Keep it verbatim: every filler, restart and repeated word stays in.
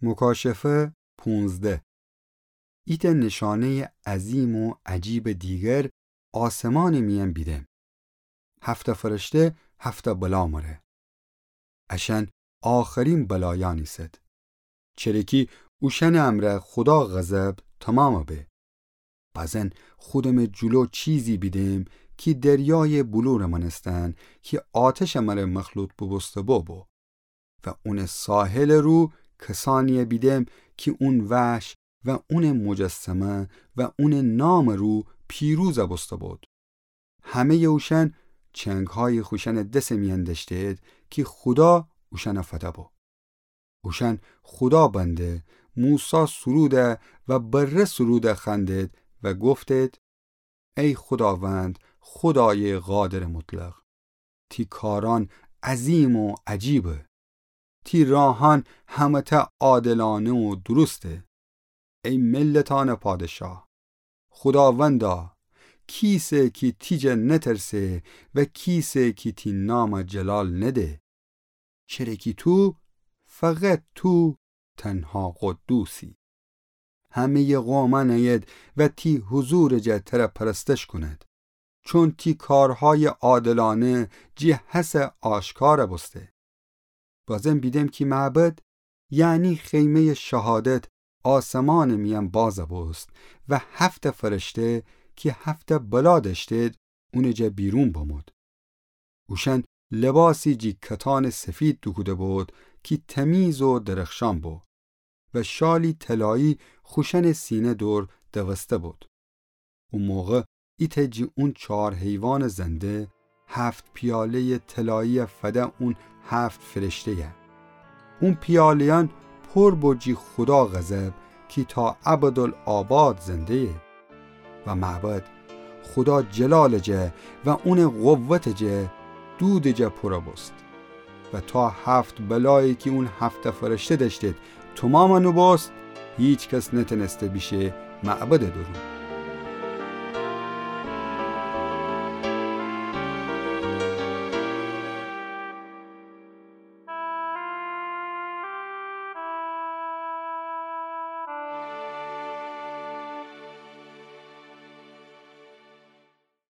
مکاشفه پونزده. ایتأ نشانه‌یٚ عظیم و عجیبٚ دیگر آسمانٚ میأن بیدم. هفته فرشته هفته بلا مره. اشأن آخرین بلایأن ایسد. چره کی اوشأنٚ امرأ خودا غضب تومام به. بزن خودمٚ جلو چیزی بیدم کی دریایٚ بلورٚ مأنستن کی آتشٚ مره مخلوط بوبوسته بو بو. و اونٚ ساحلٚ رو کسأنیی بیدم کی اون وحش و اونٚ مجسمه و اونٚ نامٚ رو پیروز بوسته بود. همه‌یٚ اوشأن چنگهایی خوشأنٚ دسٚ میأن دأشتید کی خودا اوشأن فده بو. اوشأن خودا بنده موسی سروده و بره سروده خوأندید و گفتید: ای خوداوند، خودایٚ قادرٚ مطلق، تی کارأن عظیم و عجیبه. تی راهأن همه‌تأ عادلأنه و درسته. ای ملتأنٚ پادشاه، خوداوندا، کیسه کی تی جا نترسه و کیسه کی تی نام جلال نده؟ چره کی تو، فقط تو، تنها قدوسی. همه‌یٚ قومأن ایید و تی حضورٚ جا تره پرستش کونید، چون تی کارهایٚ عادلأنه جی هسه آشکار بوسته. بازم بیدم کی معبد، یعنی خیمه‌یٚ شهادت، آسمانٚ میأن باز بوست و هفته فرشته کی هفته بلا دأشتید، اونٚ جا بیرون بمود. اوشأن لباسی جی کتانٚ سفید دوکوده بود کی تمیز و درخشان بو و شالی طلایی خوشأنٚ سینه دور دوسته بود. او موقع ایتأ جی اون چهار حیوانٚ زنده هفت پیاله‌یٚ طلایی فده اون هفت فرشته‌یه. اون پیاله‌یأن پر بو جی خودا غضب کی تا ابدالآباد زنده‌یه. و معبد خودا جلالٚ جا و اونٚ قوتٚ جا دودٚ جا پر بوست. و تا هفت بلایی کی اون هفته فرشته دأشتید تومام نوبوست، هیکس نتأنسته بیشه معبدٚ دورون.